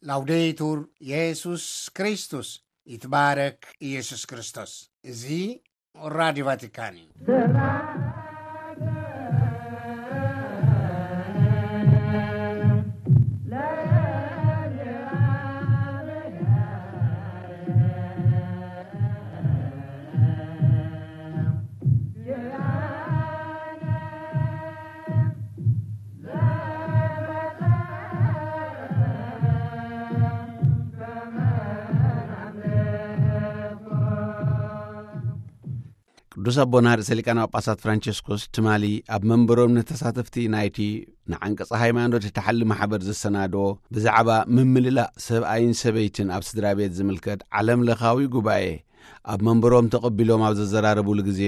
ላውዴቱር የሱስ ክርስቶስ፣ ይትባረክ ኢየሱስ ክርስቶስ። እዚ ራዲዮ ቫቲካን እዩ። ቅዱስ ኣቦና ርእሰ ሊቃነ ጳጳሳት ፍራንቸስኮስ ትማሊ ኣብ መንበሮም ንተሳተፍቲ ናይቲ ንዓንቀጸ ሃይማኖት እተሓሊ ማሕበር ዘሰናድኦ ብዛዕባ ምምልላእ ሰብኣይን ሰበይትን ኣብ ስድራ ቤት ዝምልከት ዓለም ለኻዊ ጉባኤ ኣብ መንበሮም ተቐቢሎም ኣብ ዘዘራረቡሉ ግዜ፣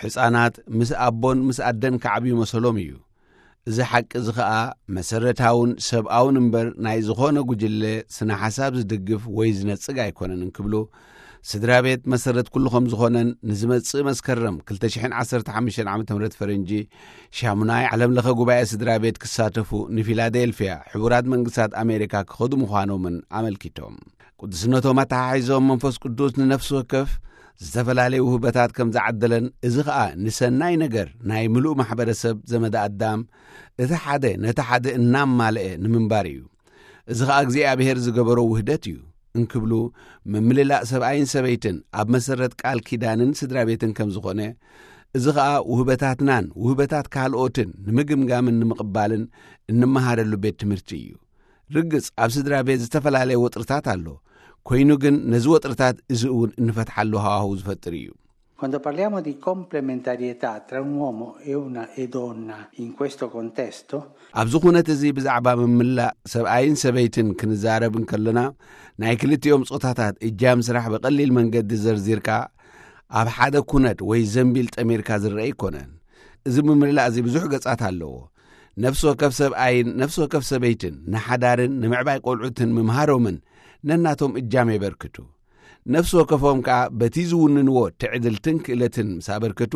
ሕጻናት ምስ ኣቦን ምስ ኣደን ክዓብዩ መሰሎም እዩ። እዚ ሓቂ እዚ ኸኣ መሰረታውን ሰብኣውን እምበር፣ ናይ ዝኾነ ጉጅለ ስነ ሓሳብ ዝድግፍ ወይ ዝነጽግ ኣይኮነን እንክብሉ፣ ስድራ ቤት መሰረት ኩሉ ከም ዝኾነን ንዝመጽእ መስከረም ክልተ ሽሕን ዓሰርተ ሓሙሽተን ዓመተ ምህረት ፈረንጂ ሻሙናይ ዓለም ለኸ ጉባኤ ስድራ ቤት ክሳተፉ ንፊላዴልፊያ ሕቡራት መንግስታት ኣሜሪካ ክኸዱ ምዃኖምን ኣመልኪቶም። ቅዱስነቶም ኣተሓሒዞም መንፈስ ቅዱስ ንነፍሲ ወከፍ ዝተፈላለየ ውህበታት ከም ዝዓደለን፣ እዚ ኸኣ ንሰናይ ነገር ናይ ምሉእ ማሕበረሰብ ዘመደ ኣዳም እቲ ሓደ ነቲ ሓደ እናማልአ ንምንባር እዩ። እዚ ኸኣ እግዚኣብሔር ዝገበሮ ውህደት እዩ እንክብሉ፣ ምምልላእ ሰብኣይን ሰበይትን ኣብ መሰረት ቃል ኪዳንን ስድራ ቤትን ከም ዝኾነ፣ እዚ ኸኣ ውህበታትናን ውህበታት ካልኦትን ንምግምጋምን ንምቕባልን እንመሃረሉ ቤት ትምህርቲ እዩ። ርግጽ ኣብ ስድራ ቤት ዝተፈላለየ ወጥርታት ኣሎ። ኮይኑ ግን ነዚ ወጥርታት እዚ እውን እንፈትሓሉ ሃዋህው ዝፈጥር እዩ። Quando parliamo di complementarietà tra un uomo e una e donna in questo contesto, ኣብዚ ኩነት እዚ ብዛዕባ ምምላእ ሰብኣይን ሰበይትን ክንዛረብ እንከለና፣ ናይ ክልቲኦም ጾታታት እጃም ስራሕ ብቐሊል መንገዲ ዘርዚርካ ኣብ ሓደ ኩነት ወይ ዘንቢል ጠሚርካ ዝረአ ኣይኮነን። እዚ ምምላእ እዚ ብዙሕ ገጻት ኣለዎ። ነፍሲ ወከፍ ሰብኣይን ነፍሲ ወከፍ ሰበይትን ንሓዳርን ንምዕባይ ቆልዑትን ምምሃሮምን ነናቶም እጃም የበርክቱ። ነፍሲ ወከፎም ከኣ በቲ ዝውንንዎ ትዕድልትን ክእለትን ምስ ኣበርከቱ፣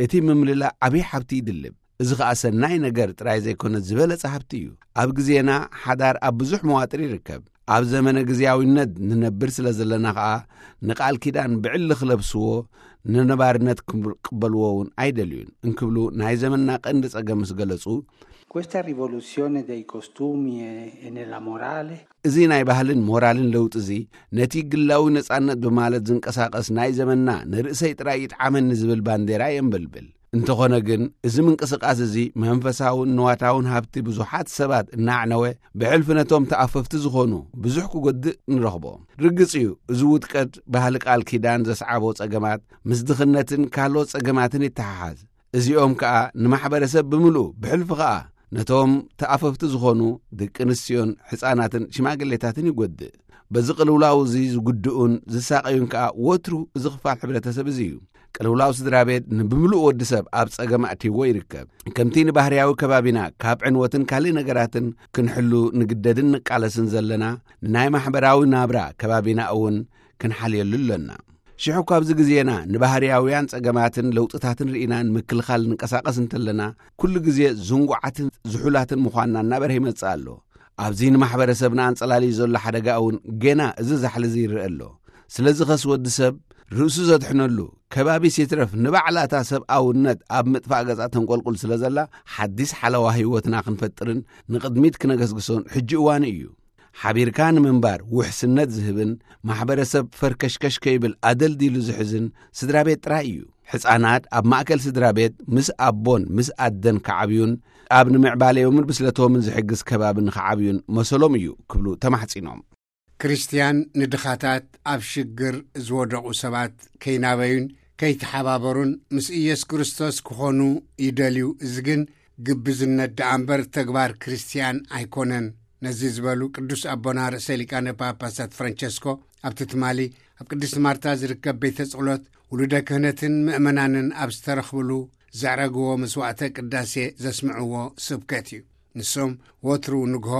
እቲ ምምልላእ ዓብዪ ሃብቲ ይድልብ። እዚ ኸኣ ሰናይ ነገር ጥራይ ዘይኮነ ዝበለጸ ሃብቲ እዩ። ኣብ ግዜና ሓዳር ኣብ ብዙሕ መዋጥር ይርከብ። ኣብ ዘመነ ግዜያዊነት ንነብር ስለ ዘለና ኸኣ ንቃል ኪዳን ብዕሊ ክለብስዎ፣ ንነባርነት ክቕበልዎ እውን ኣይደልዩን እንክብሉ ናይ ዘመንና ቀንዲ ጸገም ምስ ገለጹ፣ Questa rivoluzione dei costumi e, e nella morale እዚ ናይ ባህልን ሞራልን ለውጢ እዚ ነቲ ግላዊ ነጻነት ብማለት ዝንቀሳቐስ ናይ ዘመንና ንርእሰይ ጥራይ ይጥዓመኒ ዝብል ባንዴራ የንበልብል። እንተኾነ ግን እዚ ምንቅስቃስ እዚ መንፈሳውን ንዋታውን ሃብቲ ብዙሓት ሰባት እናዕነወ ብሕልፊ ነቶም ተኣፈፍቲ ዝኾኑ ብዙሕ ክጎድእ ንረኽቦ። ርግጽ እዩ፣ እዚ ውድቀት ባህሊ ቃል ኪዳን ዘስዓቦ ጸገማት ምስ ድኽነትን ካልኦት ጸገማትን ይተሓሓዝ። እዚኦም ከኣ ንማሕበረሰብ ብምልኡ ብሕልፊ ኸኣ ነቶም ተኣፈፍቲ ዝኾኑ ደቂ ኣንስትዮን ሕፃናትን ሽማግሌታትን ይጎድእ። በዚ ቅልውላው እዚ ዝጉድኡን ዝሳቐዩን ከኣ ወትሩ እዚ ክፋል ሕብረተሰብ እዚ እዩ። ቅልውላው ስድራ ቤት ንብምሉእ ወዲ ሰብ ኣብ ጸገም ኣእትይዎ ይርከብ። ከምቲ ንባህርያዊ ከባቢና ካብ ዕንወትን ካልእ ነገራትን ክንሕሉ ንግደድን ንቃለስን ዘለና፣ ንናይ ማሕበራዊ ናብራ ከባቢና እውን ክንሓልየሉ ኣለና። ሽሑ እኳ ኣብዚ ግዜና ንባህርያውያን ጸገማትን ለውጥታትን ርኢና ንምክልኻል ንንቀሳቐስ እንተለና፣ ኩሉ ግዜ ዝንጉዓትን ዝሑላትን ምዃንና እናበርሀ ይመጽእ ኣሎ። ኣብዚ ንማሕበረሰብና ኣንጸላልዩ ዘሎ ሓደጋ እውን ገና እዚ ዛሕሊ እዚ ይረአ ኣሎ። ስለዚ ኸስ ወዲ ሰብ ርእሱ ዘድሕነሉ፣ ከባቢስ ይትረፍ ንባዕላ እታ ሰብኣውነት ኣብ ምጥፋእ ገጻ ተንቆልቁል ስለ ዘላ፣ ሓዲስ ሓለዋ ህይወትና ክንፈጥርን ንቕድሚት ክነገስግሶን ሕጂ እዋኑ እዩ። ሓቢርካ ንምንባር ውሕስነት ዝህብን ማሕበረሰብ ፈርከሽከሽ ከይብል ኣደልዲሉ ዝሕዝን ስድራ ቤት ጥራይ እዩ። ሕፃናት ኣብ ማእከል ስድራ ቤት ምስ ኣቦን ምስ ኣደን ክዓብዩን ኣብ ንምዕባለዮምን ብስለቶምን ዝሕግዝ ከባቢ ንኽዓብዩን መሰሎም እዩ ክብሉ ተማሕጺኖም። ክርስትያን ንድኻታት፣ ኣብ ሽግር ዝወደቑ ሰባት ከይናበዩን ከይተሓባበሩን ምስ ኢየሱስ ክርስቶስ ክኾኑ ይደልዩ። እዚ ግን ግብዝነት ደኣ እምበር ተግባር ክርስትያን ኣይኮነን። ነዚ ዝበሉ ቅዱስ ኣቦና ርእሰ ሊቃነ ጳጳሳት ፍራንቸስኮ ኣብቲ ትማሊ ኣብ ቅድስቲ ማርታ ዝርከብ ቤተ ጸሎት ውሉደ ክህነትን ምእመናንን ኣብ ዝተረኽብሉ ዘዕረግዎ መስዋዕተ ቅዳሴ ዘስምዕዎ ስብከት እዩ። ንሶም ወትሩ ንግሆ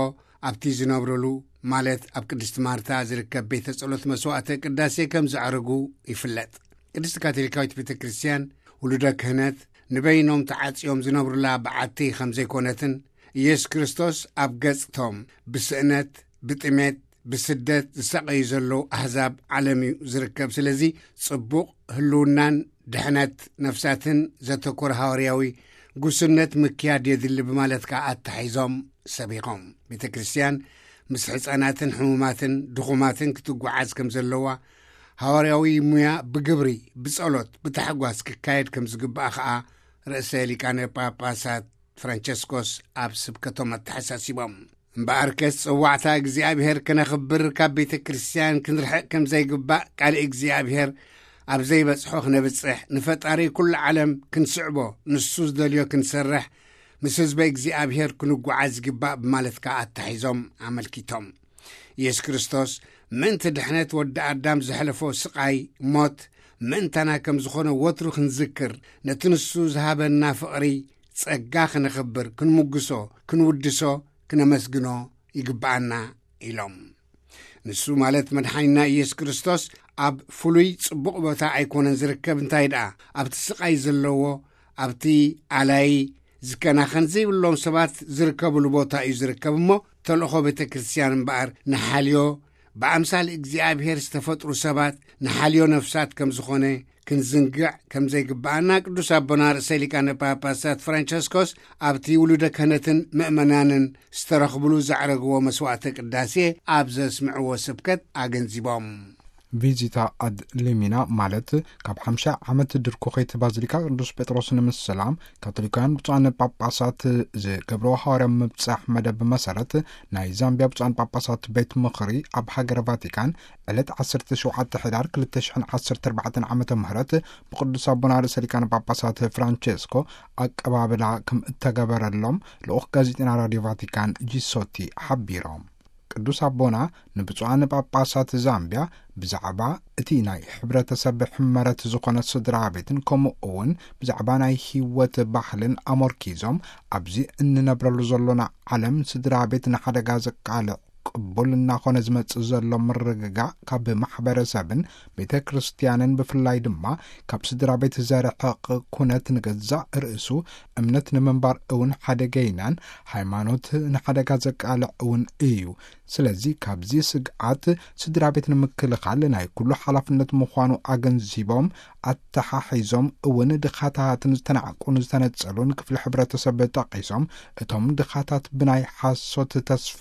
ኣብቲ ዝነብርሉ፣ ማለት ኣብ ቅድስቲ ማርታ ዝርከብ ቤተ ጸሎት መስዋዕተ ቅዳሴ ከም ዘዕርጉ ይፍለጥ። ቅድስቲ ካቶሊካዊት ቤተ ክርስቲያን ውሉደ ክህነት ንበይኖም ተዓጽዮም ዝነብሩላ በዓቲ ከም ዘይኮነትን፣ ኢየሱስ ክርስቶስ ኣብ ገጽቶም ብስእነት ብጥሜት፣ ብስደት ዝሳቐዩ ዘለዉ ኣህዛብ ዓለም እዩ ዝርከብ። ስለዚ ጽቡቕ ህልውናን ድሕነት ነፍሳትን ዘተኮረ ሃዋርያዊ ጉስነት ምክያድ የድሊ ብማለት ከኣ ኣተሓሒዞም ሰቢኾም። ቤተ ክርስቲያን ምስ ሕፃናትን ሕሙማትን ድኹማትን ክትጓዓዝ ከም ዘለዋ፣ ሃዋርያዊ ሙያ ብግብሪ፣ ብጸሎት፣ ብታሕጓስ ክካየድ ከም ዝግባእ ከኣ ርእሰ ሊቃነ ጳጳሳት ፍራንቸስኮስ ኣብ ስብከቶም ኣተሓሳሲቦም። እምበኣርከስ ጽዋዕታ እግዚኣብሔር ከነኽብር፣ ካብ ቤተ ክርስቲያን ክንርሕቕ ከም ዘይግባእ፣ ቃል እግዚኣብሔር ኣብ ዘይበጽሖ ክነብጽሕ፣ ንፈጣሪ ኩሉ ዓለም ክንስዕቦ፣ ንሱ ዝደልዮ ክንሰርሕ፣ ምስ ህዝበ እግዚኣብሔር ክንጓዓዝ ይግባእ ብማለት ከኣ ኣተሒዞም ኣመልኪቶም። ኢየሱስ ክርስቶስ ምእንቲ ድሕነት ወዲ ኣዳም ዘሕለፎ ስቓይ፣ ሞት፣ ምእንታና ከም ዝኾነ ወትሩ ክንዝክር፣ ነቲ ንሱ ዝሃበና ፍቕሪ ጸጋ ክነኽብር፣ ክንምጉሶ፣ ክንውድሶ፣ ክነመስግኖ ይግብኣና ኢሎም። ንሱ ማለት መድሓኒና ኢየሱስ ክርስቶስ ኣብ ፍሉይ ጽቡቕ ቦታ ኣይኮነን ዝርከብ፣ እንታይ ደኣ ኣብቲ ስቓይ ዘለዎ፣ ኣብቲ ኣላይ ዝከናኸን ዘይብሎም ሰባት ዝርከብሉ ቦታ እዩ ዝርከብ። እሞ ተልእኾ ቤተ ክርስቲያን እምበኣር ንሓልዮ ብኣምሳል እግዚኣብሔር ዝተፈጥሩ ሰባት ንሓልዮ ነፍሳት ከም ዝኾነ ክንዝንግዕ ከም ዘይግብኣና ቅዱስ ኣቦና ርእሰ ሊቃነ ጳጳሳት ፍራንቸስኮስ ኣብቲ ውሉደ ክህነትን ምእመናንን ዝተረኽብሉ ዘዕረግዎ መስዋዕተ ቅዳሴ ኣብ ዘስምዕዎ ስብከት ኣገንዚቦም። ቪዚታ ኣድ ሊሚና ማለት ካብ ሓምሳ ዓመት ድርኩኺት ባዚሊካ ቅዱስ ጴጥሮስ ንምስላም ካቶሊካውያን ብፁዓን ጳጳሳት ዝገብርዎ ሃዋርያ ምብጻሕ መደብ መሰረት ናይ ዛምቢያ ብፁዓን ጳጳሳት ቤት ምኽሪ ኣብ ሃገረ ቫቲካን ዕለት ዓሰርተ ሸውዓተ ሕዳር ክልተ ሽሕን ዓሰርተ ኣርባዕተን ዓመተ ምህረት ብቅዱስ ኣቦና ርእሰ ሊቃነ ጳጳሳት ፍራንቸስኮ ኣቀባብላ ከም እተገበረሎም ልኡኽ ጋዜጠና ራድዮ ቫቲካን ጂሶቲ ሓቢሮም። ቅዱስ ኣቦና ንብፁዓን ጳጳሳት ዛምቢያ ብዛዕባ እቲ ናይ ሕብረተሰብ ሕመረት ዝኾነ ስድራ ቤትን ከምኡ እውን ብዛዕባ ናይ ህይወት ባህልን ኣመርኪዞም፣ ኣብዚ እንነብረሉ ዘሎና ዓለም ስድራ ቤት ንሓደጋ ዘቃልዕ ቅቡል እናኾነ ዝመጽእ ዘሎ ምርግጋእ ካብ ማሕበረሰብን ቤተ ክርስቲያንን ብፍላይ ድማ ካብ ስድራ ቤት ዘርሕቕ ኩነት ንገዛእ ርእሱ እምነት ንምንባር እውን ሓደገይናን ሃይማኖት ንሓደጋ ዘቃልዕ እውን እዩ። ስለዚ ካብዚ ስግኣት ስድራ ቤት ንምክልኻል ናይ ኩሉ ሓላፍነት ምዃኑ ኣገንዚቦም፣ ኣተሓሒዞም እውን ድኻታትን ዝተናዕቁን ዝተነጸሉን ክፍሊ ሕብረተሰብ ጠቒሶም፣ እቶም ድኻታት ብናይ ሓሶት ተስፋ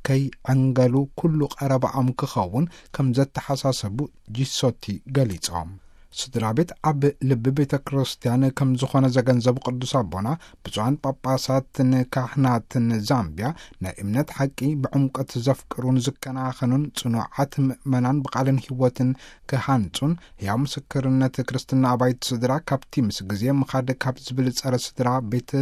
ከይዕንገሉ ኩሉ ቀረባኦም ክኸውን ከም ዘተሓሳሰቡ ጂሶቲ ገሊጾም። ስድራ ቤት ኣብ ልቢ ቤተ ክርስቲያን ከም ዝኾነ ዘገንዘቡ ቅዱስ ኣቦና፣ ብፁዓን ጳጳሳትን ካህናትን ዛምቢያ ናይ እምነት ሓቂ ብዕምቀት ዘፍቅሩን ዝከናኸኑን ጽኑዓት ምእመናን ብቓልን ህይወትን ክሃንጹን፣ ሕያው ምስክርነት ክርስትና ኣባይቲ ስድራ ካብቲ ምስ ግዜ ምኻድ ካብ ዝብል ጸረ ስድራ ቤት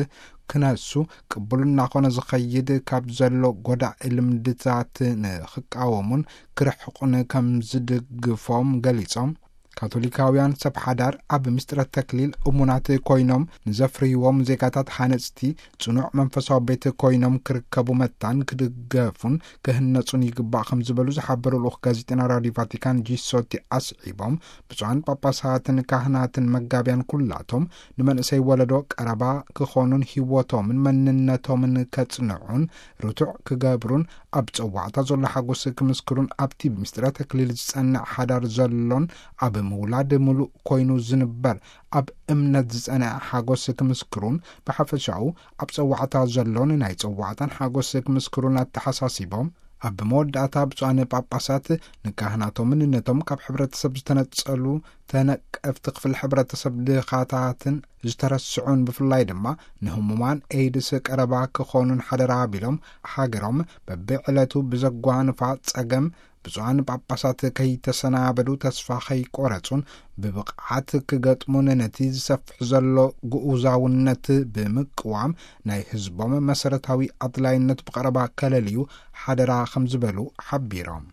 ክነሱ ቅቡል እናኾነ ዝኸይድ ካብ ዘሎ ጎዳኢ ልምድታት ንኽቃወሙን ክርሕቑን ከም ዝድግፎም ገሊጾም፣ ካቶሊካውያን ሰብ ሓዳር ኣብ ምስጢረ ተክሊል እሙናት ኮይኖም ንዘፍርይዎም ዜጋታት ሃነጽቲ ጽኑዕ መንፈሳዊ ቤት ኮይኖም ክርከቡ መታን ክድገፉን ክህነጹን ይግባእ ከም ዝበሉ ዝሓበሩ ልኡኽ ጋዜጠና ራድዮ ቫቲካን ጂሶቲ ኣስዒቦም፣ ብፁዓን ጳጳሳትን ካህናትን መጋብያን ኩላቶም ንመንእሰይ ወለዶ ቀረባ ክኾኑን ህይወቶምን መንነቶምን ከጽንዑን ርቱዕ ክገብሩን ኣብ ጸዋዕታ ዘሎ ሓጎስ ክምስክሩን ኣብቲ ብምስጢረ ተክሊል ዝጸንዕ ሓዳር ዘሎን ኣብ ምውላድ ምሉእ ኮይኑ ዝንበር ኣብ እምነት ዝጸንዐ ሓጎስ ክምስክሩን ብሓፈሻኡ ኣብ ጸዋዕታ ዘሎን ናይ ጸዋዕታን ሓጎስ ክምስክሩን ኣተሓሳሲቦም፣ ኣብ መወዳእታ ብፁዓን ጳጳሳት ንካህናቶምን ነቶም ካብ ሕብረተሰብ ዝተነጸሉ ተነቀፍቲ ክፍሊ ሕብረተሰብ ድኻታትን ዝተረስዑን ብፍላይ ድማ ንህሙማን ኤድስ ቀረባ ክኾኑን ሓደራ ኣቢሎም፣ ሃገሮም በብዕለቱ ብዘጓንፋ ጸገም ብፁዓን ጳጳሳት ከይተሰናበዱ ተስፋ ከይቆረጹን ብብቕዓት ክገጥሙን ነቲ ዝሰፍሕ ዘሎ ግኡዛውነት ብምቅዋም ናይ ህዝቦም መሰረታዊ ኣድላይነት ብቐረባ ከለልዩ ሓደራ ከም ዝበሉ ሓቢሮም።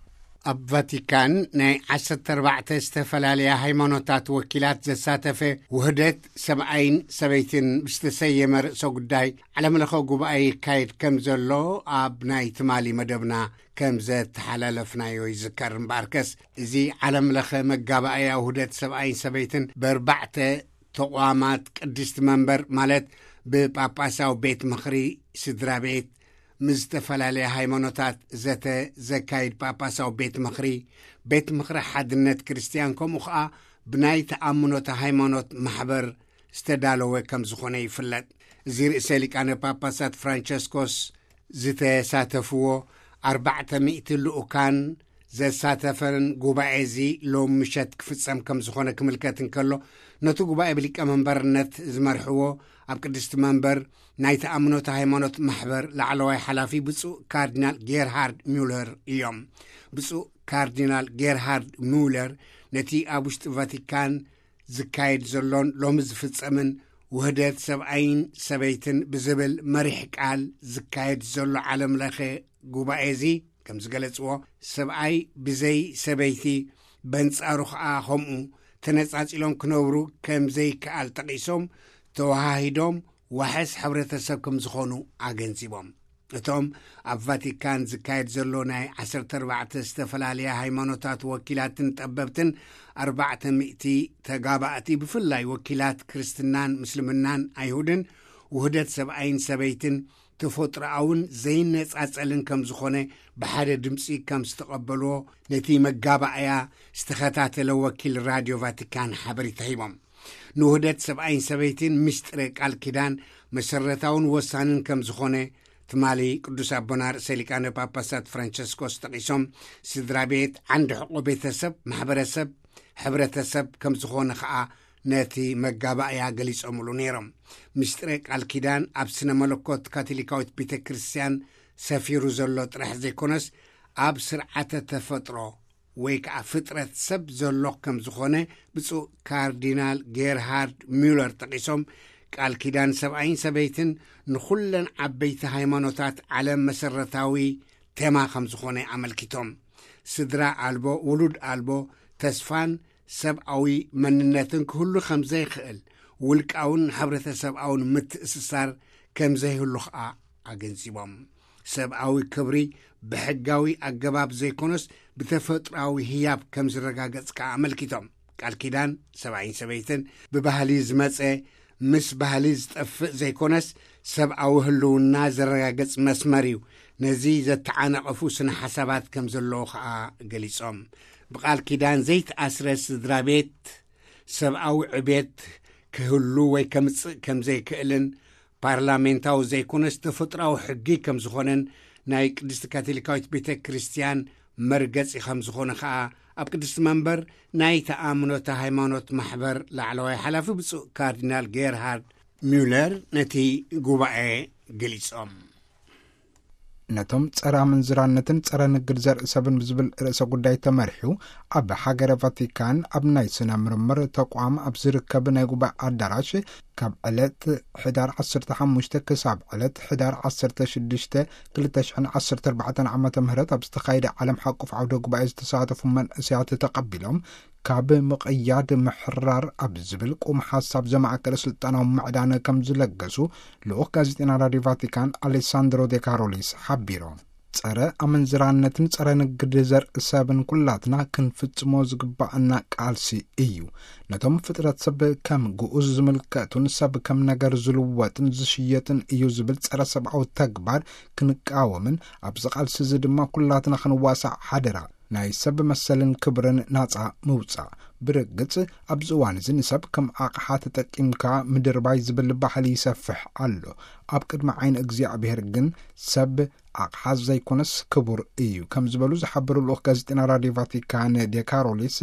ኣብ ቫቲካን ናይ ዓሰርተ ኣርባዕተ ዝተፈላለያ ሃይማኖታት ወኪላት ዘሳተፈ ውህደት ሰብኣይን ሰበይትን ብዝተሰየመ ርእሰ ጉዳይ ዓለምለኸ ጉባኤ ይካየድ ከም ዘሎ ኣብ ናይ ትማሊ መደብና ከም ዘተሓላለፍናዮ ይዝከር። እምበኣርከስ እዚ ዓለምለኸ መጋባእያ ውህደት ሰብኣይን ሰበይትን ብኣርባዕተ ተቋማት ቅድስቲ መንበር ማለት ብጳጳሳዊ ቤት ምኽሪ፣ ስድራ ቤት፣ ምስ ዝተፈላለያ ሃይማኖታት ዘተ ዘካይድ ጳጳሳዊ ቤት ምኽሪ፣ ቤት ምኽሪ ሓድነት ክርስትያን፣ ከምኡ ኸኣ ብናይ ተኣምኖተ ሃይማኖት ማሕበር ዝተዳለወ ከም ዝኾነ ይፍለጥ። እዚ ርእሰ ሊቃነ ጳጳሳት ፍራንቸስኮስ ዝተሳተፍዎ ኣርባዕተ ሚእቲ ልኡካን ዘሳተፈን ጉባኤ እዚ ሎም ምሸት ክፍጸም ከም ዝኾነ ክምልከት እንከሎ፣ ነቲ ጉባኤ ብሊቀ መንበርነት ዝመርሕዎ ኣብ ቅድስቲ መንበር ናይ ተኣምኖተ ሃይማኖት ማሕበር ላዕለዋይ ሓላፊ ብፁዕ ካርዲናል ጌርሃርድ ሚውለር እዮም። ብፁዕ ካርዲናል ጌርሃርድ ሚውለር ነቲ ኣብ ውሽጢ ቫቲካን ዝካየድ ዘሎን ሎሚ ዝፍጸምን ውህደት ሰብኣይን ሰበይትን ብዝብል መሪሕ ቃል ዝካየድ ዘሎ ዓለም ለኸ ጉባኤ እዚ ከም ዝገለጽዎ፣ ሰብኣይ ብዘይ ሰበይቲ በንጻሩ ኸኣ ከምኡ ተነጻጺሎም ክነብሩ ከም ዘይከኣል ጠቒሶም፣ ተወሃሂዶም ዋሕስ ሕብረተሰብ ከም ዝኾኑ ኣገንዚቦም። እቶም ኣብ ቫቲካን ዝካየድ ዘሎ ናይ ዓሰርተ ኣርባዕተ ዝተፈላለያ ሃይማኖታት ወኪላትን ጠበብትን ኣርባዕተ ሚእቲ ተጋባእቲ፣ ብፍላይ ወኪላት ክርስትናን ምስልምናን ኣይሁድን፣ ውህደት ሰብኣይን ሰበይትን ተፈጥሮኣውን ዘይነጻጸልን ከም ዝኾነ ብሓደ ድምጺ ከም ዝተቐበልዎ ነቲ መጋባእያ ዝተኸታተለ ወኪል ራድዮ ቫቲካን ሓበሬታ ሂቦም። ንውህደት ሰብኣይን ሰበይትን ምስጢረ ቃል ኪዳን መሰረታውን ወሳንን ከም ዝኾነ ትማሊ ቅዱስ ኣቦና ርእሰ ሊቃነ ጳጳሳት ፍራንቸስኮስ ጠቒሶም፣ ስድራ ቤት ዓንዲ ሕቆ ቤተሰብ፣ ማሕበረሰብ፣ ሕብረተሰብ ከም ዝኾነ ኸኣ ነቲ መጋባእያ ገሊጾምሉ ነይሮም። ምስጢረ ቃል ኪዳን ኣብ ስነ መለኮት ካቶሊካዊት ቤተ ክርስቲያን ሰፊሩ ዘሎ ጥራሕ ዘይኮነስ፣ ኣብ ስርዓተ ተፈጥሮ ወይ ከኣ ፍጥረት ሰብ ዘሎ ከም ዝኾነ ብፁዕ ካርዲናል ጌርሃርድ ሚውለር ጠቒሶም፣ ቃል ኪዳን ሰብኣይን ሰበይትን ንኹለን ዓበይቲ ሃይማኖታት ዓለም መሰረታዊ ቴማ ከም ዝኾነ ኣመልኪቶም፣ ስድራ ኣልቦ፣ ውሉድ ኣልቦ ተስፋን ሰብኣዊ መንነትን ክህሉ ከም ዘይክእል፣ ውልቃውን ሕብረተሰብኣውን ምትእስሳር ከም ዘይህሉ ኸኣ ኣገንዚቦም፣ ሰብኣዊ ክብሪ ብሕጋዊ ኣገባብ ዘይኮነስ ብተፈጥሮኣዊ ህያብ ከም ዝረጋገጽ ከኣ ኣመልኪቶም። ቃል ኪዳን ሰብኣይን ሰበይትን ብባህሊ ዝመጸ፣ ምስ ባህሊ ዝጠፍእ ዘይኮነስ፣ ሰብኣዊ ህልውና ዘረጋግጽ መስመር እዩ። ነዚ ዘተዓናቐፉ ስነ ሓሳባት ከም ዘለዉ ኸኣ ገሊጾም፣ ብቃል ኪዳን ዘይተኣስረ ስድራ ቤት ሰብኣዊ ዕቤት ክህሉ ወይ ከምጽእ ከም ዘይክእልን፣ ፓርላሜንታዊ ዘይኮነስ ተፈጥሮኣዊ ሕጊ ከም ዝኾነን፣ ናይ ቅድስቲ ካቶሊካዊት ቤተ ክርስቲያን መርገጺ ከም ዝኾነ ኸኣ ኣብ ቅድስቲ መንበር ናይ ተኣምኖተ ሃይማኖት ማሕበር ላዕለዋይ ሓላፊ ብፁዕ ካርዲናል ጌርሃርድ ሚውለር ነቲ ጉባኤ ገሊጾም። ነቶም ጸረ ኣመንዝራነትን ጸረ ንግድ ዘርኢ ሰብን ብዝብል ርእሰ ጉዳይ ተመሪሑ፣ ኣብ ሃገረ ቫቲካን ኣብ ናይ ስነ ምርምር ተቋም ኣብ ዝርከብ ናይ ጉባኤ ኣዳራሽ፣ ካብ ዕለት ሕዳር ዓሰርተ ሓሙሽተ ክሳብ ዕለት ሕዳር ዓሰርተ ሽዱሽተ ክልተ ሽሕን ዓሰርተ ኣርባዕተን ዓመተ ምህረት ኣብ ዝተኻየደ ዓለም ሓቆፍ ዓውደ ጉባኤ ዝተሳተፉ መንእሰያት ተቐቢሎም፣ ካብ ምቕያድ ምሕራር ኣብ ዝብል ቁም ሓሳብ ዘማእከለ ስልጣናዊ ምዕዳን ከም ዝለገሱ ልኡኽ ጋዜጠና ራድዮ ቫቲካን ኣሌሳንድሮ ዴካሮሊስ ሓቢሮም። ጸረ ኣመንዝራነትን ጸረ ንግድ ዘርኢ ሰብን ኩላትና ክንፍጽሞ ዝግባኣና ቃልሲ እዩ። ነቶም ፍጥረት ሰብ ከም ግኡዝ ዝምልከቱን ሰብ ከም ነገር ዝልወጥን ዝሽየጥን እዩ ዝብል ጸረ ሰብኣዊ ተግባር ክንቃወምን ኣብዚ ቃልሲ እዚ ድማ ኩላትና ክንዋሳእ ሓደራ። ናይ ሰብ መሰልን ክብርን ናጻ ምውጻእ። ብርግጽ ኣብዚ እዋን እዚ ንሰብ ከም ኣቕሓ ተጠቂምካ ምድርባይ ዝብል ባህሊ ይሰፍሕ ኣሎ። ኣብ ቅድሚ ዓይኒ እግዚኣብሔር ግን ሰብ ኣቕሓ ዘይኮነስ ክቡር እዩ ከም ዝበሉ ዝሓበሩ ልኡኽ ጋዜጠና ራድዮ ቫቲካን ዴካሮሊስ፣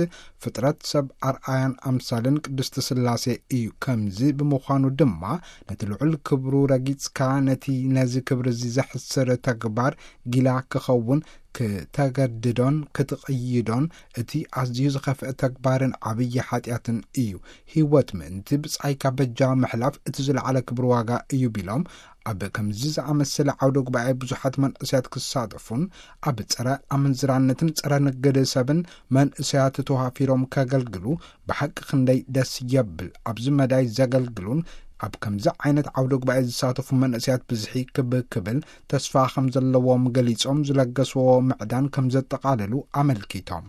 ፍጥረት ሰብ ኣርኣያን ኣምሳልን ቅድስቲ ስላሴ እዩ። ከምዚ ብምዃኑ ድማ ነቲ ልዑል ክብሩ ረጊጽካ ነቲ ነዚ ክብሪ እዚ ዘሕስር ተግባር ጊላ ክኸውን ክተገድዶን ክትቕይዶን እቲ ኣዝዩ ዝኸፍአ ተግባርን ዓብዪ ሓጢኣትን እዩ። ህይወት ምእንቲ ብጻይካ በጃ ምሕላፍ እቲ ዝለዓለ ክብሪ ዋጋ እዩ ቢሎም፣ ኣብ ከምዚ ዝኣመሰለ ዓውደ ጉባኤ ብዙሓት መንእሰያት ክሳተፉን ኣብ ጸረ ኣመንዝራነትን ጸረ ንግድ ሰብን መንእሰያት ተዋፊሮም ከገልግሉ ብሓቂ ክንደይ ደስ የብል። ኣብዚ መዳይ ዘገልግሉን ኣብ ከምዚ ዓይነት ዓውደ ጉባኤ ዝሳተፉ መንእሰያት ብዝሒ ክብ ክብል ተስፋ ከም ዘለዎም ገሊጾም፣ ዝለገስዎ ምዕዳን ከም ዘጠቓልሉ ኣመልኪቶም።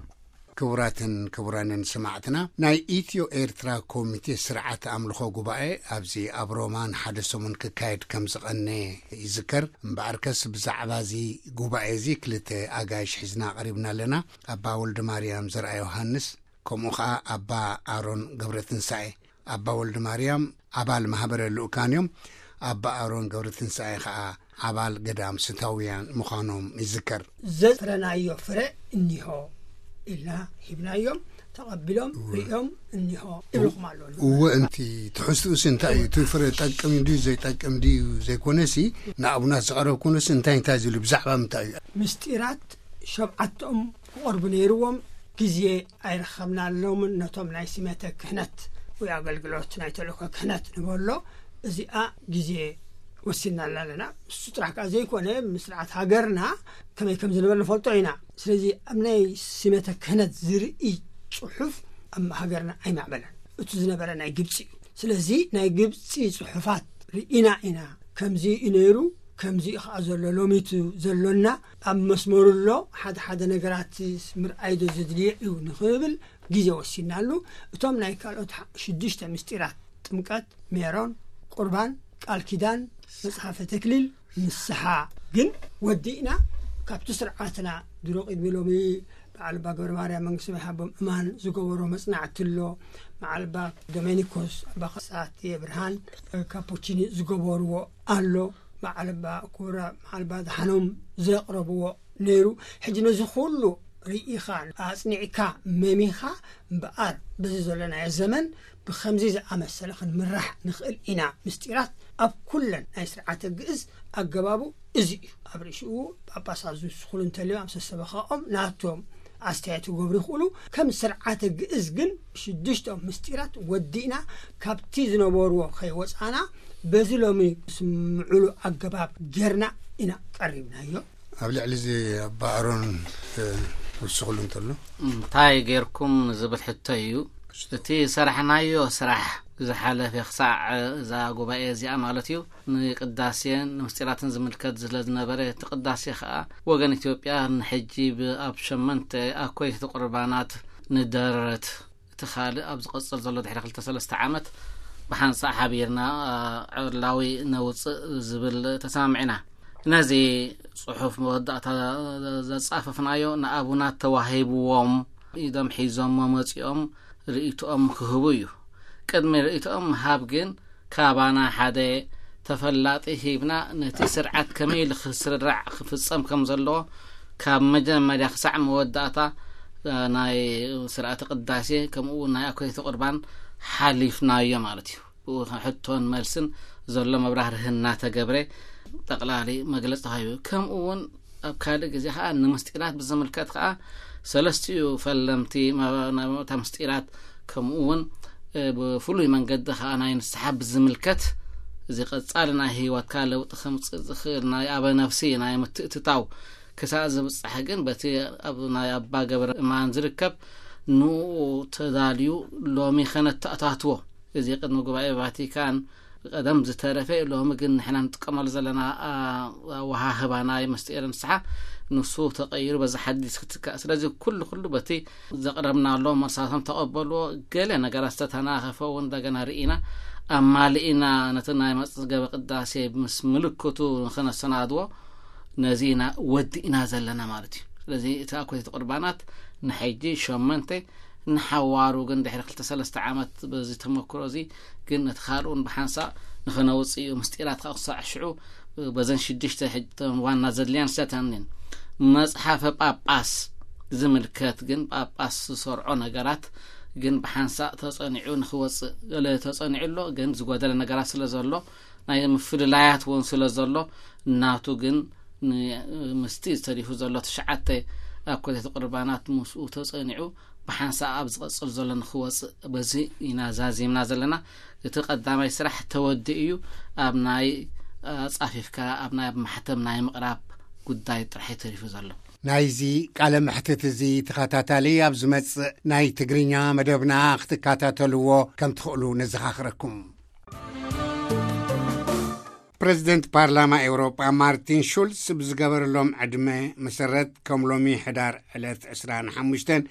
ክቡራትን ክቡራንን ሰማዕትና፣ ናይ ኢትዮ ኤርትራ ኮሚቴ ስርዓት ኣምልኾ ጉባኤ ኣብዚ ኣብ ሮማ ንሓደ ሰሙን ክካየድ ከም ዝቐነ ይዝከር። እምበኣርከስ ብዛዕባ እዚ ጉባኤ እዚ ክልተ ኣጋይሽ ሒዝና ቀሪብና ኣለና። ኣባ ወልደ ማርያም ዘርኣ ዮሃንስ፣ ከምኡ ኸኣ ኣባ ኣሮን ገብረትንሳኤ። ኣባ ወልደ ማርያም ኣባል ማህበረ ልኡካን እዮም። ኣባ ኣሮን ገብረትንሳኤ ኸኣ ኣባል ገዳም ስታውያን ምዃኖም ይዝከር። ዘፍረናዮ ፍረ እኒሆ ኢልና ሂብናዮም፣ ተቐቢሎም፣ እወ። ሪኦም እኒሆ ይብልኹም ኣለዉ። እወ፣ እንቲ ትሕዝትኡስ እንታይ እዩ? እቲ ፍረ ጠቅም ድዩ ዘይጠቅም ድዩ ዘይኮነሲ፣ ንኣቡናት ዝቐረብኩንስ እንታይ እንታይ ዝብሉ፣ ብዛዕባ ምንታይ እዩ? ምስጢራት ሸብዓቶም ክቐርቡ ነይርዎም፣ ግዜ ኣይረኸብናሎምን። ነቶም ናይ ሲመተ ክህነት ወይ ኣገልግሎት ናይ ተልእኮ ክህነት ንበሎ፣ እዚኣ ግዜ ወሲንናላ ኣለና። እሱ ጥራሕ ከኣ ዘይኮነ፣ ምስርዓት ሃገርና ከመይ ከም ዝነበረ ንፈልጦ ኢና። ስለዚ ኣብ ናይ ሲመተ ክህነት ዝርኢ ጽሑፍ ኣብ ሃገርና ኣይማዕበለን። እቲ ዝነበረ ናይ ግብጺ እዩ። ስለዚ ናይ ግብጺ ጽሑፋት ርኢና ኢና። ከምዚ እዩ ነይሩ፣ ከምዚ እዩ ከኣ ዘሎ፣ ሎሚቱ ዘሎና ኣብ መስመሩ ኣሎ፣ ሓደ ሓደ ነገራት ምርኣይ ዶ ዘድልዮ እዩ ንኽብል ግዜ ወሲናሉ። እቶም ናይ ካልኦት ሓ-፣ ሽዱሽተ ምስጢራት፣ ጥምቀት፣ ሜሮን፣ ቁርባን፣ ቃል ኪዳን፣ መጽሓፈ ተክሊል፣ ንስሓ ግን ወዲእና። ካብቲ ስርዓትና ድሮ ቅድሚ ሎሚ በዓል ኣባ ገብረ ማርያም መንግስቲ ይሃቦም እማን ዝገበሮ መጽናዕቲ ኣሎ። በዓል ኣባ ዶሜኒኮስ ኣባ ከሳቴ ብርሃን ካፖቺኒ ዝገበርዎ ኣሎ። በዓል ኣባ ኩራ፣ በዓል ኣባ ደሓኖም ዘቕረብዎ ነይሩ። ሕጂ ነዚ ኩሉ ርኢኻ፣ ኣጽኒዕካ፣ መሚኻ እምበኣር በዚ ዘለናዮ ዘመን ብኸምዚ ዝኣመሰለ ክንምራሕ ንኽእል ኢና። ምስጢራት ኣብ ኩለን ናይ ስርዓተ ግእዝ ኣገባቡ እዚ እዩ። ኣብ ርእሽኡ ጳጳሳት ዝውስኹሉ እንተልዮም ኣብ ሰሰበኻኦም ናቶም ኣስተያየት ክገብሩ ይኽእሉ። ከም ስርዓተ ግእዝ ግን ሽዱሽቶም ምስጢራት ወዲእና ካብቲ ዝነበርዎ ከይወጻና በዚ ሎሚ ስምዕሉ ኣገባብ ጌርና ኢና ቀሪብናዮ። ኣብ ልዕሊ እዚ ኣባ ኣሮን፣ እ፣ ክውስኹሉ እንተሎ? እንታይ ጌርኩም ንዝብል ሕቶ እዩ። እቲ ሰራሕናዮ ስራሕ ዝሓለፈ ክሳዕ እዛ ጉባኤ እዚኣ ማለት እዩ፣ ንቅዳሴን ንምስጢራትን ዝምልከት ስለ ዝነበረ፣ እቲ ቅዳሴ ኸኣ ወገን ኢትዮጵያ ንሕጂ ብ-፣ ኣብ ሸመንተ ኣኮይቲ ቁርባናት ንደረት። እቲ ካልእ ኣብ ዝቐጽል ዘሎ ድሕሪ ክልተ ሰለስተ ዓመት ብሓንሳእ ሓቢርና፣ አ፣ ዕላዊ ነውጽእ ዝብል ተሰማሚዕና። ነዚ ጽሑፍ መወዳእታ ዘጻፈፍናዮ ንኣቡናት ተዋሂብዎም ኢዶም ሒዞሞ መጺኦም ርእይቶኦም ክህቡ እዩ። ቅድሚ ርእይቶኦም ምሃብ ግን ካባና ሓደ ተፈላጢ ሂብና ነቲ ስርዓት ከመይ ኢሉ ክስራዕ ክፍጸም ከም ዘለዎ ካብ መጀመርያ ክሳዕ መወዳእታ፣ እ፣ ናይ ስርዓተ ቅዳሴ ከምኡ እውን ናይ ኣኮይተ ቁርባን ሓሊፍናዮ ማለት እዩ። ብኡ ሕቶን መልስን ዘሎ መብራህርህ እናተገብረ ጠቕላሊ መግለጺ ተዋሂቡ። ከምኡ እውን ኣብ ካልእ ግዜ ኸኣ ንምስጢራት ብዝምልከት ኸኣ ሰለስቲኡ ፈለምቲ መ-፣ ናይ እታ ምስጢራት ከምኡ እውን፣ እ፣ ብፍሉይ መንገዲ ኸኣ ናይ ንስሓ ብዝምልከት እዚ ቀጻሊ ናይ ህይወትካ ለውጢ ከምጽእ ዝኽእል ናይ ኣበ ነፍሲ ናይ ምትእትታው ክሳእ ዝብጻሕ ግን በቲ ኣብ ናይ ኣባ ገብረ እማን ዝርከብ ንኡ ተዳልዩ ሎሚ ከነተኣታትዎ። እዚ ቅድሚ ጉባኤ ቫቲካን ቀደም ዝተረፈ ሎሚ ግን ንሕና ንጥቀመሉ ዘለና፣ አ፣ ኣወሃህባ ናይ ምስጢር ንስሓ ንሱ ተቐይሩ በዚ ሓዲስ ክትካእ። ስለዚ ኩሉ ኩሉ በቲ ዘቕረብናሎም መልሳቶም ተቐበልዎ። ገለ ነገራት ዝተተናኸፈ እውን እንደገና ርኢና ኣማሊእና ነቲ ናይ መጽገበ ቅዳሴ ምስ ምልክቱ ንኸነሰናድዎ ነዚ ኢና ወዲእና ዘለና ማለት እዩ። ስለዚ እቲ ኣኮይቲ ቁርባናት ንሕጂ ሸመንተ ንሓዋሩ ግን ድሕሪ ክልተ ሰለስተ ዓመት በዚ ተመክሮ እዚ ግን ነቲ ካልኡን ብሓንሳእ ንኸነውጽእ እዩ። ምስጢራት ካብ ክሳዕ ሽዑ በዘን ሽዱሽተ ሕጂ እተን ዋና ዘድልያን ሰተንን መጽሓፈ ጳጳስ ዝምልከት ግን ጳጳስ ዝሰርዖ ነገራት ግን ብሓንሳእ ተጸኒዑ ንኽወጽእ ገለ ተጸኒዑ ኣሎ። ግን ዝጎደለ ነገራት ስለ ዘሎ ናይ ምፍልላያት እውን ስለ ዘሎ ናቱ ግን ን-፣ ምስቲ ዝተሪፉ ዘሎ ትሽዓተ ኣኮቴተ ቁርባናት ምስኡ ተጸኒዑ ብሓንሳእ ኣብ ዝቐጽል ዘሎ ንኽወጽእ በዚ ኢና ዛዚምና ዘለና። እቲ ቀዳማይ ስራሕ ተወዲኡ እዩ። ኣብ ናይ ኣጻፊፍካ ኣብ ናይ ኣብ ማሕተም ናይ ምቕራብ ጉዳይ ጥራሕ እዩ ተሪፉ ዘሎ። ናይዚ ቃለ መሕትት እዚ ተኸታታሊ ኣብ ዝመጽእ ናይ ትግርኛ መደብና ክትከታተልዎ ከም ትኽእሉ ነዘኻኽረኩም። ፕረዚደንት ፓርላማ ኤውሮጳ ማርቲን ሹልስ ብዝገበረሎም ዕድመ መሰረት፣ ከም ሎሚ ሕዳር ዕለት ዕስራን ሓሙሽተን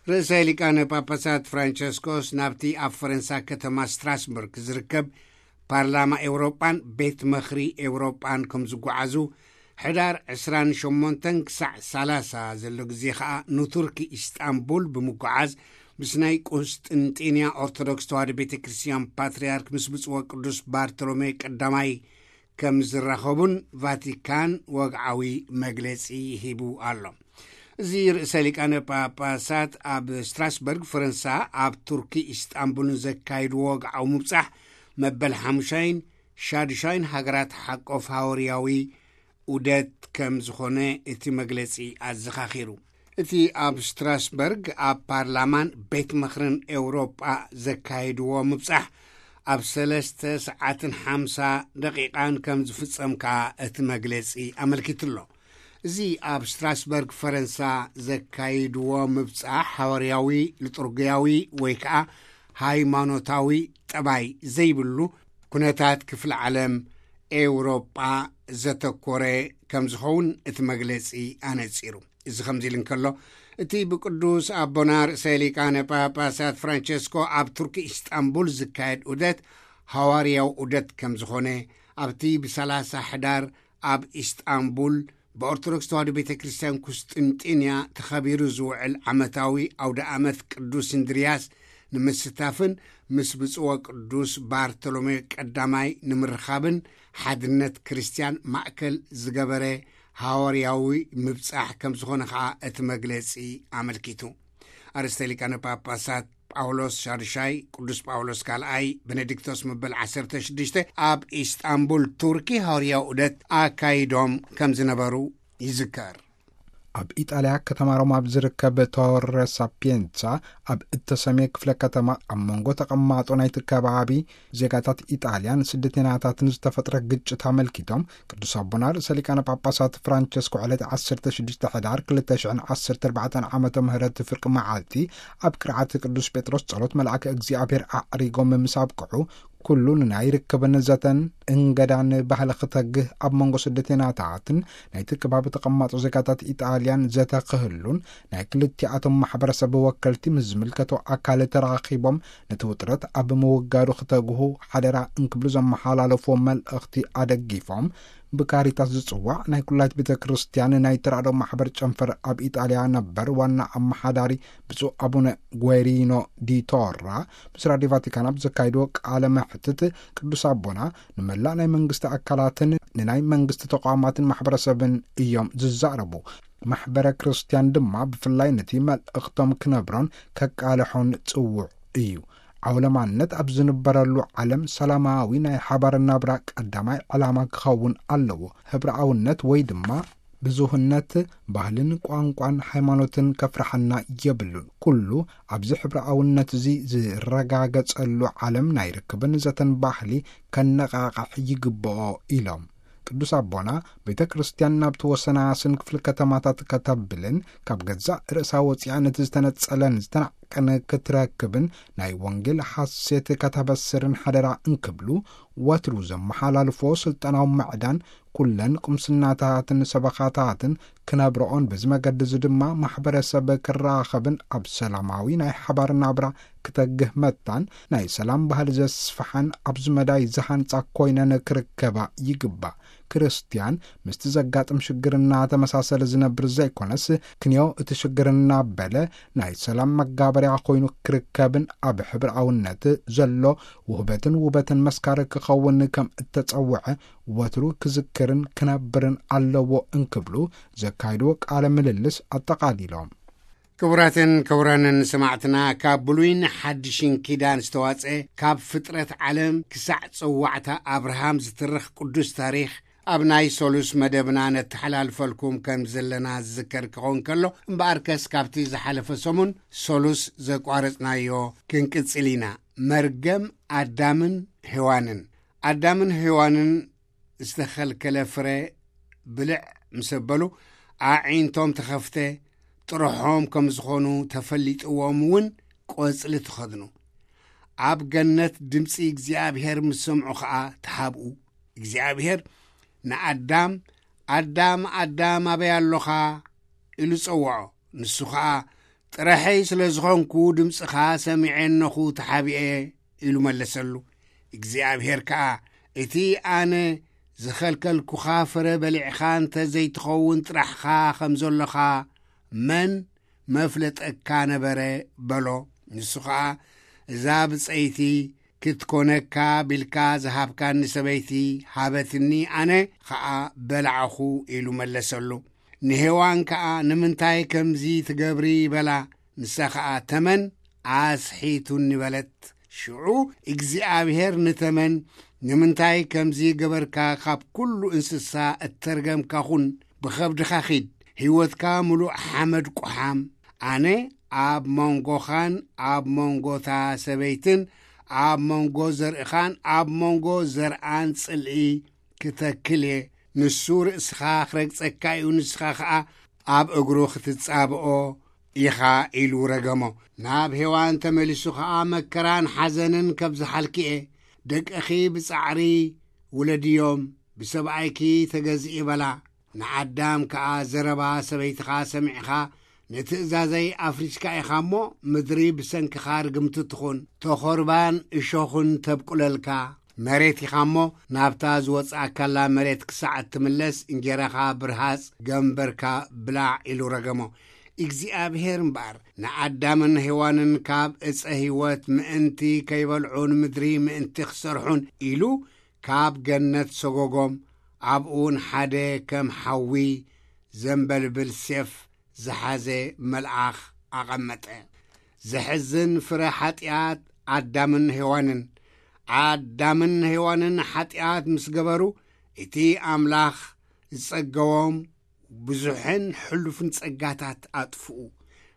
ርእሰ ሊቃነ ጳጳሳት ፍራንቸስኮስ ናብቲ ኣብ ፈረንሳ ከተማ ስትራስቡርግ ዝርከብ ፓርላማ ኤውሮጳን ቤት መኽሪ ኤውሮጳን ከም ዝጓዓዙ፣ ሕዳር ዕስራን ሸሞንተን ክሳዕ ሰላሳ ዘሎ ግዜ ኸኣ ንቱርኪ ኢስጣንቡል ብምጓዓዝ ምስ ናይ ቁስጥንጢንያ ኦርቶዶክስ ተዋህዶ ቤተ ክርስቲያን ፓትርያርክ ምስ ብፁዕ ወቅዱስ ባርቶሎሜ ቀዳማይ ከም ዝራኸቡን ቫቲካን ወግዓዊ መግለጺ ሂቡ ኣሎ። እዚ ርእሰ ሊቃነ ጳጳሳት ኣብ ስትራስበርግ ፈረንሳ፣ ኣብ ቱርኪ ኢስጣንቡልን ዘካይድዎ ወግዓዊ ምብጻሕ፣ መበል ሓሙሻይን ሻዱሻይን ሃገራት ሓቆፍ ሃዋርያዊ ዑደት ከም ዝኾነ እቲ መግለጺ ኣዘኻኺሩ። እቲ ኣብ ስትራስበርግ ኣብ ፓርላማን ቤት ምኽርን ኤውሮጳ ዘካየድዎ ምብጻሕ ኣብ ሰለስተ ሰዓትን ሓምሳ ደቂቓን ከም ዝፍጸም ከኣ እቲ መግለጺ ኣመልኪቱ ኣሎ። እዚ ኣብ ስትራስበርግ ፈረንሳ ዘካይድዎ ምብጻሕ ሓዋርያዊ፣ ሊጡርግያዊ ወይ ከኣ ሃይማኖታዊ ጠባይ ዘይብሉ ኩነታት ክፍለ ዓለም ኤውሮጳ ዘተኮረ ከም ዝኸውን እቲ መግለጺ ኣነጺሩ። እዚ ከምዚ ኢሉ እንከሎ፣ እቲ ብቅዱስ ኣቦና ርእሰ ሊቃነ ጳጳሳት ፍራንቸስኮ ኣብ ቱርኪ ኢስጣንቡል ዝካየድ ዑደት ሃዋርያዊ ዑደት ከም ዝኾነ፣ ኣብቲ ብሰላሳ ሕዳር ኣብ ኢስጣንቡል ብኦርቶዶክስ ተዋህዶ ቤተ ክርስቲያን ቁስጥንጢንያ ተኸቢሩ ዝውዕል ዓመታዊ ኣውደ ኣመት ቅዱስ እንድርያስ ንምስታፍን ምስ ብፁዕ ወቅዱስ ባርቶሎሜ ቀዳማይ ንምርኻብን ሓድነት ክርስቲያን ማእከል ዝገበረ ሃዋርያዊ ምብጻሕ ከም ዝኾነ ኸኣ እቲ መግለጺ ኣመልኪቱ። ኣርእስተ ሊቃነ ጳጳሳት ጳውሎስ ሻድሻይ፣ ቅዱስ ጳውሎስ ካልኣይ፣ ቤኔዲክቶስ መበል ዓሰርተ ሽዱሽተ ኣብ ኢስጣንቡል ቱርኪ ሃዋርያዊ ዑደት ኣካይዶም ከም ዝነበሩ ይዝከር። ኣብ ኢጣልያ ከተማ ሮማ ኣብ ዝርከብ ቶረ ሳፒየንሳ ኣብ እተሰምየ ክፍለ ከተማ ኣብ መንጎ ተቐማጦ ናይቲ ከባቢ ዜጋታት ኢጣልያን ስደተኛታትን ዝተፈጥረ ግጭት ኣመልኪቶም ቅዱስ ኣቦና ርእሰ ሊቃነ ጳጳሳት ፍራንቸስኮ ዕለት ዓሰርተ ሽዱሽተ ሕዳር ክልተ ሽሕን ዓሰርተ ኣርባዕተን ዓመተ ምህረት ፍርቂ መዓልቲ ኣብ ቅርዓት ቅዱስ ጴጥሮስ ጸሎት መልኣከ እግዚኣብሔር ኣዕሪጎም ምስ ኣብቅዑ፣ ኩሉ ንናይ ርክብን ዘተን እንገዳን ባህሊ ክተግህ፣ ኣብ መንጎ ስደተኛታትን ናይቲ ከባቢ ተቐማጦ ዜጋታት ኢጣልያን ዘተ ክህሉን ናይ ክልቲኣቶም ማሕበረሰብ ወከልቲ ምስ ዝምልከቶ ኣካል ተራኺቦም ነቲ ውጥረት ኣብ ምውጋዱ ክተግሁ ሓደራ እንክብሉ ዘመሓላለፍዎ መልእኽቲ ኣደጊፎም፣ ብካሪታስ ዝጽዋዕ ናይ ኩላይት ቤተ ክርስቲያን ናይ ተራድኦ ማሕበር ጨንፈር ኣብ ኢጣልያ ነበር ዋና ኣመሓዳሪ ብፁዕ ኣቡነ ጓይሪኖ ዲቶራ ምስ ራድዮ ቫቲካን ኣብ ዘካይድዎ ቃለ መሕትት፣ ቅዱስ ኣቦና ንመላእ ናይ መንግስቲ ኣካላትን ንናይ መንግስቲ ተቋማትን ማሕበረሰብን እዮም ዝዛረቡ። ማሕበረ ክርስቲያን ድማ ብፍላይ ነቲ መልእኽቶም ክነብሮን ከቃልሖን ጽውዕ እዩ። ዓውለማነት ኣብ ዝንበረሉ ዓለም ሰላማዊ ናይ ሓባር ናብራ ቀዳማይ ዕላማ ክኸውን ኣለዎ። ህብረኣውነት ወይ ድማ ብዙህነት ባህልን ቋንቋን ሃይማኖትን ከፍርሓና የብሉን። ኩሉ ኣብዚ ሕብረኣውነት እዚ ዝረጋገጸሉ ዓለም ናይ ርክብን ዘተን ባህሊ ከነቓቕሕ ይግብኦ ኢሎም። ቅዱስ ኣቦና ቤተ ክርስቲያን ናብቲ ወሰናስን ክፍሊ ከተማታት ከተብልን ካብ ገዛእ ርእሳ ወፂኣ ነቲ ዝተነጸለን ዝተናዕቀን ክትረክብን ናይ ወንጌል ሓሴት ከተበስርን ሓደራ እንክብሉ ወትሩ ዘመሓላልፎ ስልጠናዊ ምዕዳን ኩለን ቁምስናታትን ሰበኻታትን ክነብረኦን በዚ መገዲ እዚ ድማ ማሕበረሰብ ክራኸብን ኣብ ሰላማዊ ናይ ሓባር ናብራ ክተግህ መታን ናይ ሰላም ባህሊ ዘስፍሓን ኣብዚ መዳይ ዝሃንጻ ኮይነን ክርከባ ይግባእ። ክርስትያን ምስቲ ዘጋጥም ሽግር እናተመሳሰለ ዝነብር ዘይኮነስ ክንዮ እቲ ሽግር እናበለ ናይ ሰላም መጋበርያ ኮይኑ ክርከብን ኣብ ሕብርኣውነት ዘሎ ውህበትን ውበትን መስካሪ ክኸውን ከም እተጸውዐ ወትሩ ክዝክርን ክነብርን ኣለዎ እንክብሉ ዘካይድዎ ቃለ ምልልስ ኣጠቓሊሎም። ክቡራትን ክቡራንን ሰማዕትና፣ ካብ ብሉይን ሓድሽን ኪዳን ዝተዋጸ፣ ካብ ፍጥረት ዓለም ክሳዕ ጸዋዕታ ኣብርሃም ዝትርኽ ቅዱስ ታሪኽ ኣብ ናይ ሶሉስ መደብና ነተሓላልፈልኩም ከም ዘለና ዝዝከር ክኸውን ከሎ፣ እምበኣርከስ ካብቲ ዝሓለፈ ሰሙን ሶሉስ ዘቋረጽናዮ ክንቅጽል ኢና። መርገም ኣዳምን ሄዋንን። ኣዳምን ሄዋንን ዝተኸልከለ ፍረ ብልዕ ምስ ኣበሉ፣ ኣዒንቶም ተኸፍተ፣ ጥርሖም ከም ዝኾኑ ተፈሊጥዎም እውን ቆጽሊ ተኸድኑ። ኣብ ገነት ድምጺ እግዚኣብሔር ምስ ሰምዑ ኸኣ ተሓብኡ። እግዚኣብሔር ንኣዳም፣ "ኣዳም፣ ኣዳም፣ ኣበይ ኣሎኻ?" ኢሉ ጸውዖ። ንሱ ኸኣ፣ ጥረሐይ ስለ ዝኾንኩ ድምፅኻ ሰሚዐ፣ እነኹ ተሓቢኤ፣ ኢሉ መለሰሉ። እግዚኣብሔር ከኣ፣ እቲ ኣነ ዝኸልከልኩኻ ፍረ በሊዕኻ እንተ ዘይትኸውን ጥራሕኻ ከም ዘሎኻ መን መፍለጠካ ነበረ? በሎ። ንሱ ኸኣ፣ እዛ ብጸይቲ ክትኮነካ ቢልካ ዝሃብካኒ ሰበይቲ ሃበትኒ፣ ኣነ ኸኣ በላዕኹ፣ ኢሉ መለሰሉ። ንሄዋን ከኣ፣ ንምንታይ ከምዚ ትገብሪ? በላ። ንሳ ኸኣ፣ ተመን ኣስሒቱኒ፣ በለት። ሽዑ እግዚኣብሔር ንተመን፣ ንምንታይ ከምዚ ገበርካ? ካብ ኩሉ እንስሳ እተርገምካ ኩን፣ ብኸብድኻ ኺድ፣ ህይወትካ ምሉእ ሓመድ ቁሓም። ኣነ ኣብ መንጎኻን ኣብ መንጎታ ሰበይትን፣ ኣብ መንጎ ዘርእኻን ኣብ መንጎ ዘርኣን ጽልኢ ክተክል እየ። ንሱ ርእስኻ ክረግጸካ እዩ፣ ንስኻ ኸኣ ኣብ እግሩ ክትጻብኦ ኢኻ፣ ኢሉ ረገሞ። ናብ ሄዋን ተመሊሱ ኸኣ፣ መከራን ሓዘንን ከብዝሓልኪ እየ። ደቅኺ ብጻዕሪ ውለድዮም፣ ብሰብኣይኪ ተገዝኢ፣ በላ። ንኣዳም ከኣ፣ ዘረባ ሰበይትኻ ሰሚዕኻ፣ ንትእዛዘይ ኣፍሪስካ ኢኻ እሞ፣ ምድሪ ብሰንክኻ ርግምቲ ትኹን፣ ተኾርባን እሾኹን ተብቁለልካ። መሬት ኢኻ እሞ፣ ናብታ ዝወጻእካላ መሬት ክሳዕ እትምለስ፣ እንጌራኻ ብርሃጽ፣ ገምበርካ ብላዕ፣ ኢሉ ረገሞ። እግዚኣብሔር እምበኣር፣ ንኣዳምን ሄዋንን ካብ ዕፀ ህይወት ምእንቲ ከይበልዑን ምድሪ ምእንቲ ክሰርሑን ኢሉ፣ ካብ ገነት ሰጎጎም። ኣብኡ እውን ሓደ ከም ሓዊ ዘንበልብል ሴፍ ዝሓዘ መልኣኽ ኣቐመጠ። ዘሕዝን ፍረ ሓጢኣት ኣዳምን ሄዋንን። ኣዳምን ሄዋንን ሓጢኣት ምስ ገበሩ፣ እቲ ኣምላኽ ዝጸገቦም ብዙሕን ሕሉፍን ጸጋታት ኣጥፍኡ።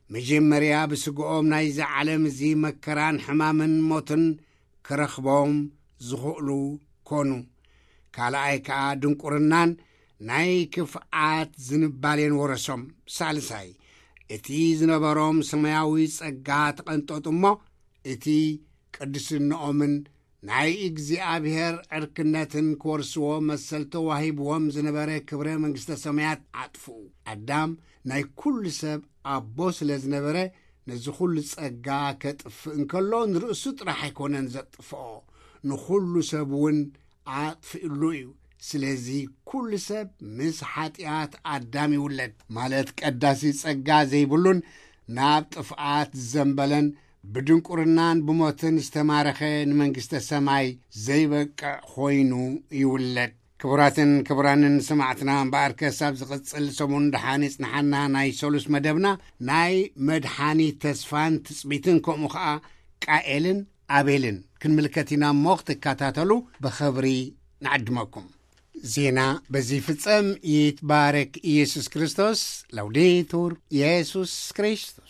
መጀመርያ ብስግኦም ናይዚ ዓለም እዚ መከራን ሕማምን ሞትን ክረኽቦም ዝኽእሉ ኮኑ። ካልኣይ ከኣ ድንቁርናን ናይ ክፍኣት ዝንባሌን ወረሶም። ሳልሳይ፣ እቲ ዝነበሮም ሰማያዊ ጸጋ ተቐንጠጡ እሞ፣ እቲ ቅድስንኦምን ናይ እግዚኣብሔር ዕርክነትን ክወርስዎ መሰል ተዋሂብዎም ዝነበረ ክብረ መንግስተ ሰማያት ኣጥፍኡ። ኣዳም ናይ ኩሉ ሰብ ኣቦ ስለ ዝነበረ፣ ነዚ ኩሉ ጸጋ ከጥፍእ እንከሎ፣ ንርእሱ ጥራሕ ኣይኮነን ዘጥፍኦ፣ ንኹሉ ሰብ እውን ኣጥፍእሉ እዩ። ስለዚ ኩሉ ሰብ ምስ ሓጢኣት ኣዳም ይውለድ፣ ማለት ቀዳሲ ጸጋ ዘይብሉን ናብ ጥፍኣት ዝዘንበለን ብድንቁርናን ብሞትን ዝተማረኸ ንመንግስተ ሰማይ ዘይበቅዕ ኮይኑ ይውለድ። ክቡራትን ክቡራንን ሰማዕትና፣ እምበኣር ከሳብ ዝቕጽል ሰሙን ደሓን ይጽንሓና ናይ ሰሉስ መደብና፣ ናይ መድሓኒ ተስፋን ትጽቢትን ከምኡ ኸኣ ቃኤልን ኣቤልን ክንምልከት ኢና እሞ ክትከታተሉ ብኽብሪ ንዕድመኩም። ዜና በዚ ይፍጸም። ይትባረክ ኢየሱስ ክርስቶስ። ላውዴቱር ኢየሱስ ክርስቶስ።